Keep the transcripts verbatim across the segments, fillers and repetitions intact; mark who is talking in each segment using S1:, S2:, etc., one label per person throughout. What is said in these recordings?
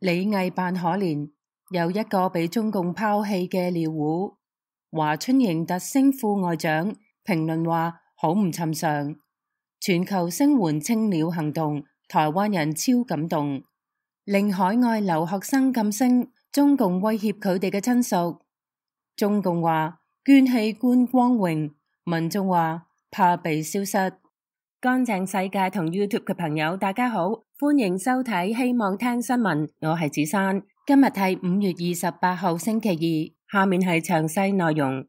S1: 李毅扮可憐，又一個被中共拋棄嘅尿壺。華春瑩特升副外長，評論話好唔尋常。全球聲援青鳥行動，台灣人超感動。令海外留學生噤聲，中共威脅佢哋嘅親屬。中共話捐器官光榮，民眾話怕被消失。乾淨世界同 YouTube 嘅朋友大家好，歡迎收睇希望聽新聞，我係子珊。今日係五月二十八號星期二，下面係詳細內容。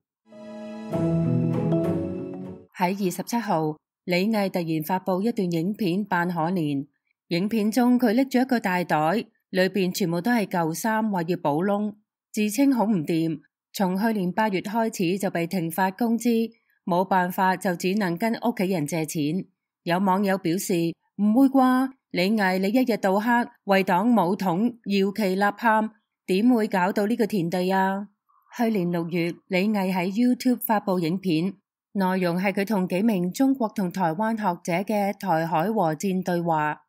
S1: 喺二十七號，李毅突然發佈一段影片扮可憐。影片中佢拎住一個大袋，裏邊全部都係舊衫，話要補窿，自稱好唔掂。從去年八月開始就被停發工資，冇辦法就只能跟屋企人借錢。有網友表示唔會啩，李毅你一日到黑為黨武統搖旗吶喊，點會搞到呢個田地啊？去年六月，李毅喺 YouTube 發佈影片，內容係佢同幾名中國同台灣學者嘅台海和戰對話。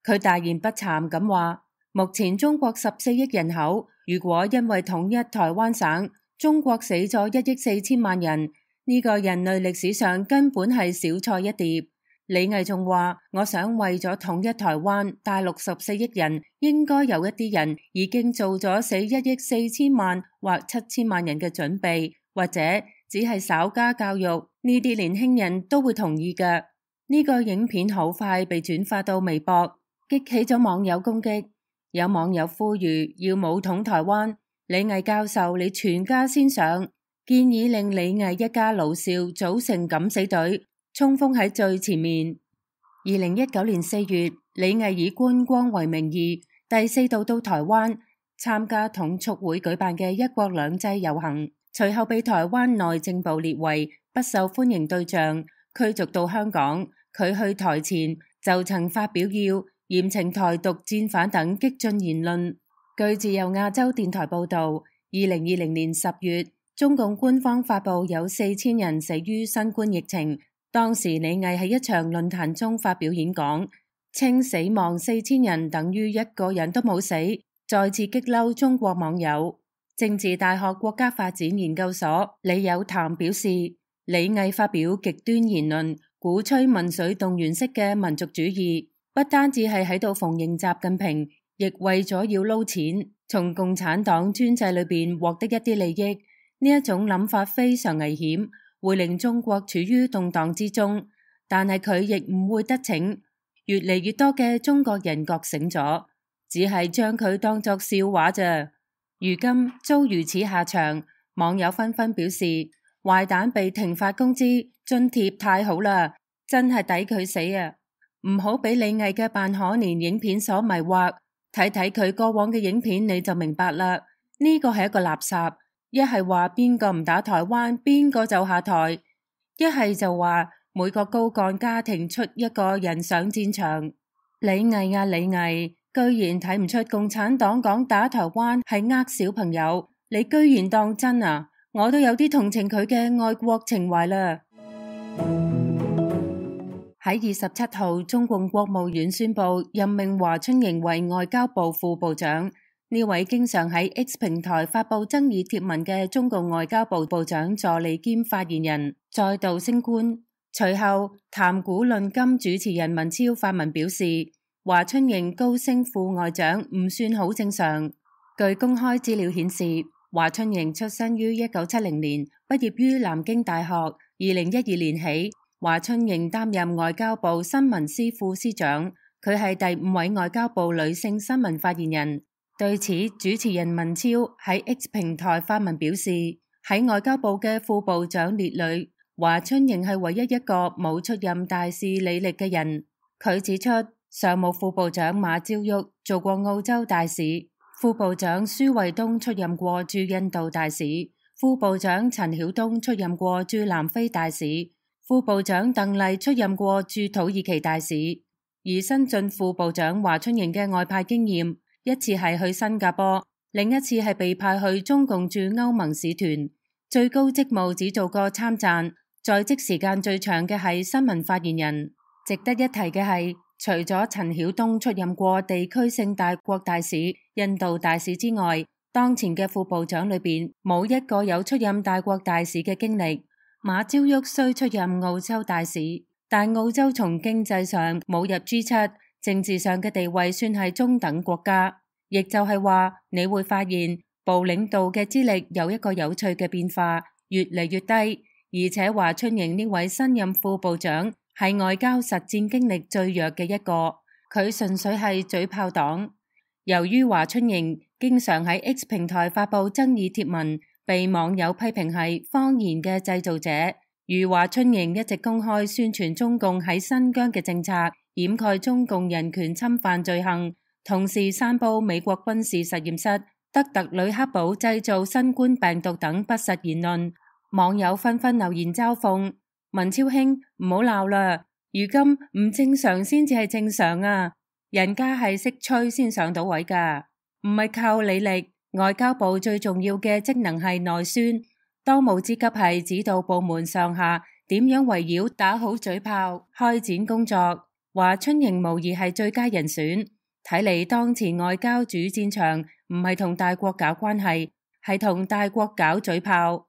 S1: 佢大言不慚咁話，目前中國十四億人口，如果因為統一台灣省，中國死咗一億四千萬人，呢個人類歷史上根本係小菜一碟。李毅仲話，我想為咗統一台灣，大陸十四億人應該有一啲人已經做咗死一億四千萬或七千萬人嘅準備，或者只係稍加教育，呢啲年輕人都會同意嘅。呢個影片好快被轉發到微博，激起咗網友攻擊。有網友呼籲要武統台灣，李毅教授你全家先上，建議令李毅一家老少組成敢死隊，衝鋒喺最前面。二零一九年四月，李毅以觀光為名義，第四度到台灣參加統促會舉辦嘅一國兩制遊行，隨後被台灣內政部列為不受歡迎對象，驅逐到香港。佢去台前就曾發表要嚴懲台獨戰犯等激進言論。據自由亞洲電台報道，二零二零年十月，中共官方發布有四千人死於新冠疫情。當時李毅喺一場論壇中發表演講，稱死亡四千人等於一個人都冇死，再次激嬲中國網友。政治大學國家發展研究所李有潭表示，李毅發表極端言論，鼓吹民粹動員式嘅民族主義，不單止係喺度逢迎習近平，亦為咗要撈錢，從共產黨專制裏邊獲得一啲利益。呢一種諗法非常危險，會令中國處於動盪之中。但係佢亦唔會得逞，越嚟越多嘅中國人覺醒咗，只係將佢當作笑話咋。如今遭如此下場，網友紛紛表示，壞蛋被停發工資津貼太好啦，真係抵佢死啊！唔好俾李毅嘅扮可憐影片所迷惑，睇睇佢過往嘅影片你就明白啦。呢個係一個垃圾，一係話邊個唔打台灣，邊個就下台；一係就話每個高幹家庭出一個人上戰場。李毅啊李毅，居然睇唔出共產黨講打台灣係呃小朋友，你居然當真啊！我都有啲同情佢嘅愛國情懷啦。喺二十七號，中共國務院宣布任命華春瑩為外交部副部長。呢位經常喺 X 平台發布爭議貼文嘅中共外交部部長助理兼發言人再度升官。隨後，談古論今主持人文超發文表示，華春瑩高升副外長唔算好正常。據公開資料顯示，華春瑩出生於一九七零年，畢業於南京大學。二零一二年起，華春瑩擔任外交部新聞司副司長，佢係第五位外交部女性新聞發言人。對此，主持人文超喺 X 平台發文表示，喺外交部嘅副部長列裏，華春瑩係唯一一個冇出任大使履歷嘅人。佢指出，常務副部長馬朝旭做過澳洲大使，副部長舒衛東出任過駐印度大使，副部長陳曉東出任過駐南非大使，副部長鄧麗出任過駐土耳其大使。而新晉副部長華春瑩嘅外派經驗，一次係去新加坡，另一次係被派去中共駐歐盟使團，最高職務只做過參贊，在職時間最長嘅係新聞發言人。值得一提嘅係，除咗陳曉東出任過地區性大國大使，印度大使之外，當前嘅副部長裏邊冇一個有出任大國大使嘅經歷。馬朝旭雖出任澳洲大使，但澳洲從經濟上冇入 G 七，政治上嘅地位算係中等國家。亦就係話，你會發現部領導嘅資歷有一個有趣嘅變化，越嚟越低。而且華春瑩呢位新任副部長係外交實戰經歷最弱嘅一個，佢純粹係嘴炮黨。由於華春瑩經常喺 X 平台發佈爭議貼文，被網友批評係謊言嘅製造者，如華春瑩一直公開宣傳中共喺新疆嘅政策，掩蓋中共人權侵犯罪行，同時散佈美國軍事實驗室德特呂克堡製造新冠病毒等不實言論，網友紛紛留言嘲諷：文超兄唔好鬧啦，如今唔正常先至係正常啊！人家係識吹先上到位噶，唔係靠履歷。外交部最重要嘅職能係內宣，當務之急係指導部門上下點樣圍繞打好嘴炮開展工作。華春瑩無疑係最佳人選。睇嚟當前外交主戰場唔係同大國搞關係，係同大國搞嘴炮。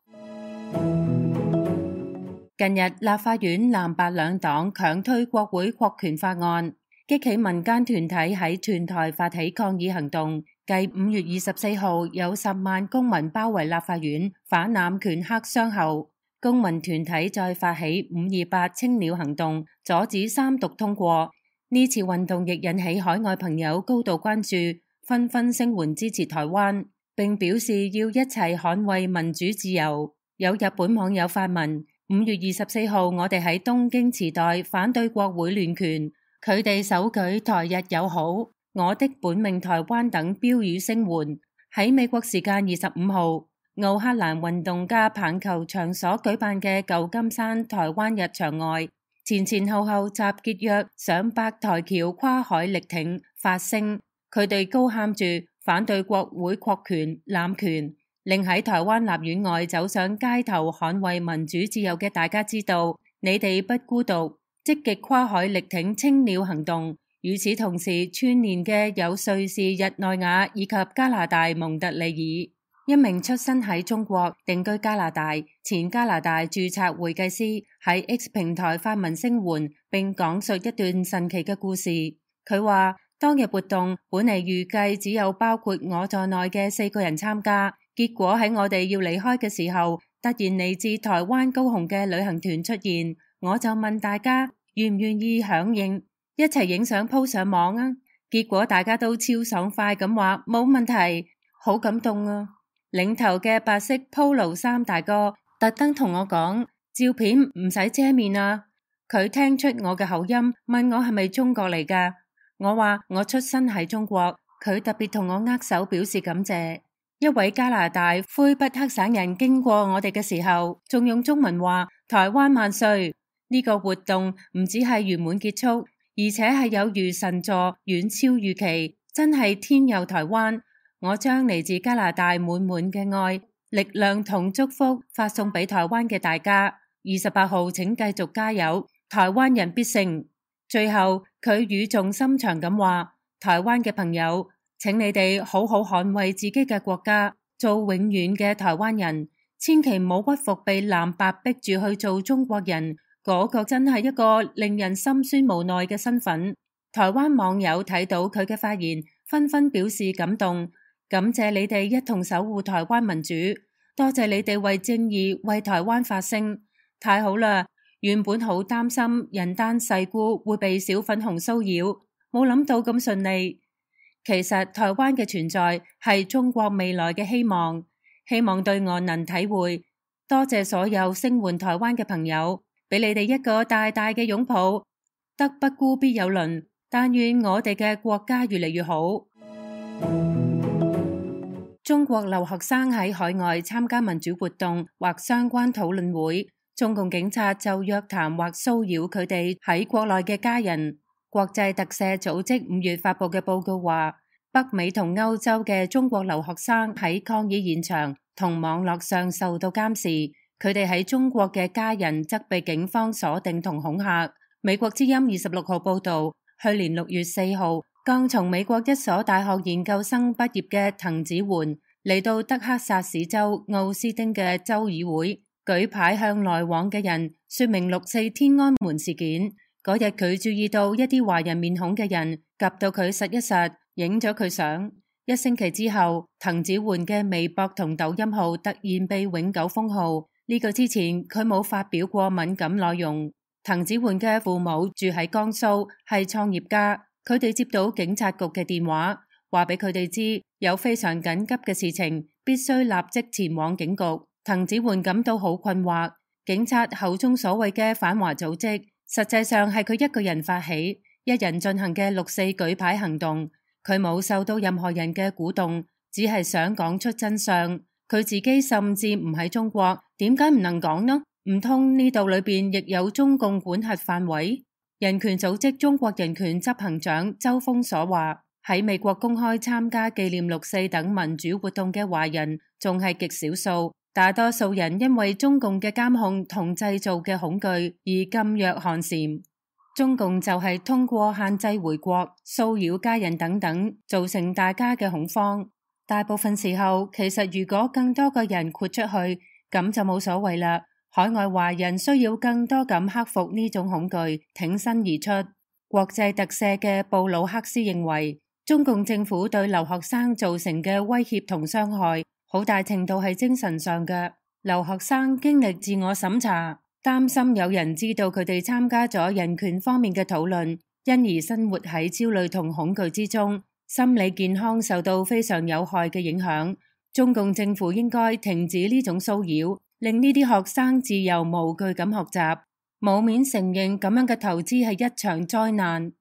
S1: 近日立法院藍白兩黨強推國會擴權法案，激起民間團體喺全台發起抗議行動。繼五月二十四號有十萬公民包圍立法院反濫權黑箱後，公民團體再發起五二八青鳥行動，阻止三讀通過。呢次運動亦引起海外朋友高度關注，紛紛聲援支持台灣，並表示要一齊捍衛民主自由。有日本網友發文：五月二十四號我哋喺東京池袋反對國會亂權，佢哋手舉台日友好、我的本命台灣等標語聲援。喺美國時間二十五號，奧克蘭運動家棒球場所舉辦嘅舊金山台灣日場外，前前後後集結約上百台僑跨海力挺發聲，佢哋高喊住反對國會擴權濫權，令喺台灣立院外走上街頭捍衛民主自由嘅大家知道，你哋不孤獨，積極跨海力挺青鳥行動。與此同時，串連嘅有瑞士日內瓦以及加拿大蒙特利爾。一名出身喺中國定居加拿大前加拿大註冊會計師喺 X 平台發文聲援，並講述一段神奇嘅故事。佢話當日活動本嚟預計只有包括我在內嘅四個人參加，結果喺我哋要離開嘅時候，突然嚟自台灣高雄嘅旅行團出現，我就問大家願唔願意響應，一齊影相 po 上網啊！結果大家都超爽快咁話冇問題，好感動啊！領頭嘅白色 polo 衫大哥特登同我講，照片唔使遮面啊！佢聽出我嘅口音，問我係咪中國嚟㗎？我話我出生喺中國。佢特別同我握手表示感謝。一位加拿大魁北克省人經過我哋嘅時候，仲用中文話台灣萬歲。呢個活動唔只係圓滿結束，而且係有如神助，遠超預期，真係天佑台灣。我將嚟自加拿大滿滿嘅愛、力量同祝福發送俾台灣嘅大家。二十八號請繼續加油，台灣人必勝。最後佢語重心長咁話：台灣嘅朋友，請你哋好好捍衛自己嘅國家，做永遠嘅台灣人，千祈唔好屈服被藍白逼住去做中國人。嗰個真係一個令人心酸無奈嘅身份。台灣網友睇到佢嘅發言，紛紛表示感動。感謝你哋一同守護台灣民主，多謝你哋為正義為台灣發聲，太好啦！原本好擔心人單勢孤會被小粉紅騷擾，冇諗到咁順利。其實台灣嘅存在係中國未來嘅希望，希望對岸能體會。多謝所有聲援台灣嘅朋友，俾你哋一個大大嘅擁抱。德不孤必有鄰，但願我哋嘅國家越嚟越好。中國留學生喺海外參加民主活動或相關討論會，中共警察就約談或騷擾佢哋喺國內嘅家人。國際特赦組織五月發布嘅報告話，北美同歐洲嘅中國留學生喺抗議現場同網絡上受到監視，佢哋喺中國嘅家人則被警方鎖定同恐嚇。美國之音二十六號報道，去年六月四號，剛從美國一所大學研究生畢業嘅滕子桓嚟到德克薩斯州奧斯丁嘅州議會，舉牌向來往嘅人說明六四天安門事件。嗰日佢注意到一啲華人面孔嘅人，及到佢實一實，影咗佢相。一星期之後，滕子桓嘅微博同抖音號突然被永久封號。呢個之前佢冇發表過敏感內容。滕子桓嘅父母住喺江蘇，係創業家。佢哋接到警察局嘅電話，話俾佢哋知有非常緊急嘅事情，必須立即前往警局。滕子桓感到好困惑。警察口中所謂嘅反華組織，實際上係佢一個人發起、一人進行嘅六四舉牌行動。佢冇受到任何人嘅鼓動，只係想講出真相。佢自己甚至唔喺中國，點解唔能講呢？唔通呢度裏邊亦有中共管轄範圍？人權組織中國人權執行長周鋒所話，喺美國公開參加紀念六四等民主活動嘅華人仲係極少數，大多數人因為中共嘅監控同製造嘅恐懼而噤若寒蟬。中共就係通過限制回國、騷擾家人等等，造成大家嘅恐慌。大部分時候，其實如果更多個人豁出去，咁就冇所謂啦。海外華人需要更多咁克服呢種恐懼，挺身而出。國際特赦嘅布魯克斯認為，中共政府對留學生造成嘅威脅同傷害，好大程度係精神上嘅。留學生經歷自我審查，擔心有人知道佢哋參加咗人權方面嘅討論，因而生活喺焦慮同恐懼之中，心理健康受到非常有害嘅影響。中共政府應該停止呢種騷擾，令呢啲學生自由無懼咁學習，冇面承認咁樣嘅投資係一場災難。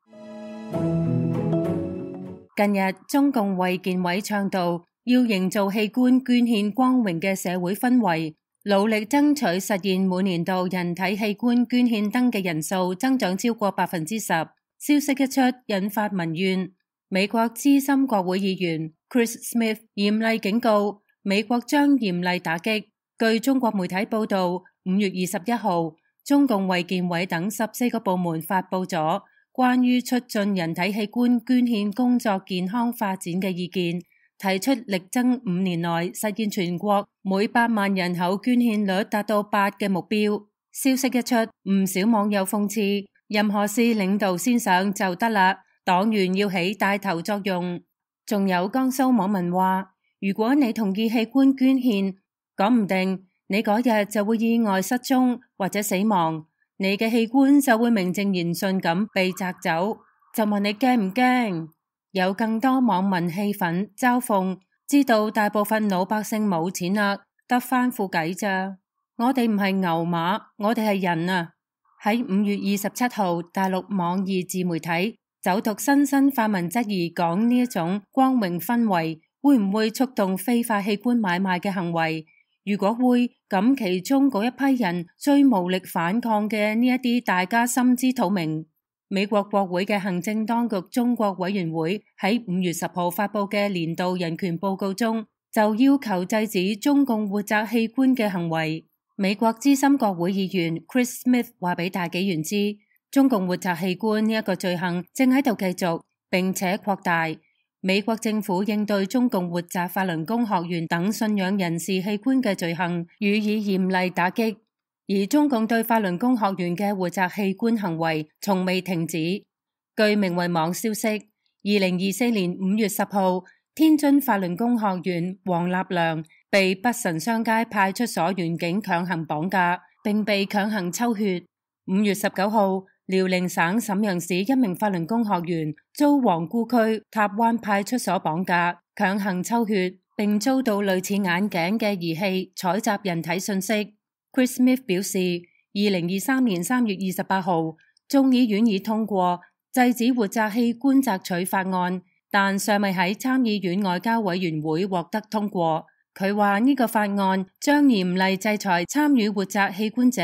S1: 近日，中共衛健委倡導要營造器官捐獻光榮嘅社會氛圍，努力爭取實現每年度人體器官捐獻登記人數增長超過百分之十。消息一出，引發民怨。美國資深國會議員 Chris Smith 嚴厲警告，美國將嚴厲打擊。據中國媒體報道，五月二十一號，中共衛健委等十四個部門發佈咗關於促進人體器官捐獻工作健康發展嘅意見，提出力爭五年內實現全國每百萬人口捐獻率達到八嘅目標。消息一出，唔少網友諷刺，任何事領導先上就得啦，黨員要起帶頭作用。仲有江蘇網民話，如果你同意器官捐獻，講唔定你嗰日就會意外失蹤或者死亡，你嘅器官就會名正言順咁被摘走。就問你驚唔驚？有更多網民氣憤嘲諷，知道大部分老百姓冇錢啦，得返副計咋？我哋唔係牛馬，我哋係人啊！喺五月二十七號，大陸網易自媒體走讀新生發文質疑，講呢一種光榮氛圍會唔會觸動非法器官買賣嘅行為？如果會，咁其中嗰一批人最無力反抗嘅呢一啲，大家心知肚明。美國國會嘅行政當局中國委員會喺五月十號發佈嘅年度人權報告中，就要求制止中共活摘器官嘅行為。美國資深國會議員 Chris Smith 話俾大紀元知，中共活摘器官呢一個罪行正喺度繼續並且擴大。美國政府應對中共活摘法輪功學員等信仰人士器官嘅罪行予以嚴厲打擊，而中共對法輪功學員嘅活摘器官行為從未停止。據明慧網消息，二零二四年五月十號，天津法輪功學員黃立良被北辰商街派出所員警強行綁架，並被強行抽血。五月十九號，遼寧省瀋陽市一名法輪功學員遭皇姑區塔灣派出所綁架，強行抽血，並遭到類似眼鏡嘅儀器採集人體信息。Chris Smith 表示，二零二三年三月二十八號，眾議院已通過制止活摘器官摘取法案，但尚未喺參議院外交委員會獲得通過。佢話呢個法案將嚴厲制裁參與活摘器官者，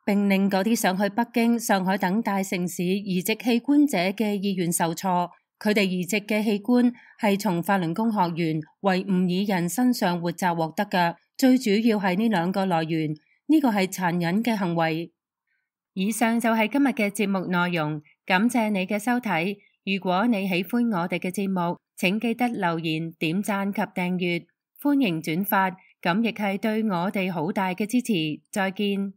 S1: 並令嗰啲想去北京、上海等大城市移植器官者嘅意願受挫。佢哋移植嘅器官係從法輪功學員維吾爾人身上活摘獲得嘅，最主要係呢兩個來源。呢個係殘忍嘅行為。以上就係今日嘅節目內容，感謝你嘅收睇。如果你喜歡我哋嘅節目，請記得留言、點讚及訂閱，歡迎轉發，咁亦係對我哋好大嘅支持。再見。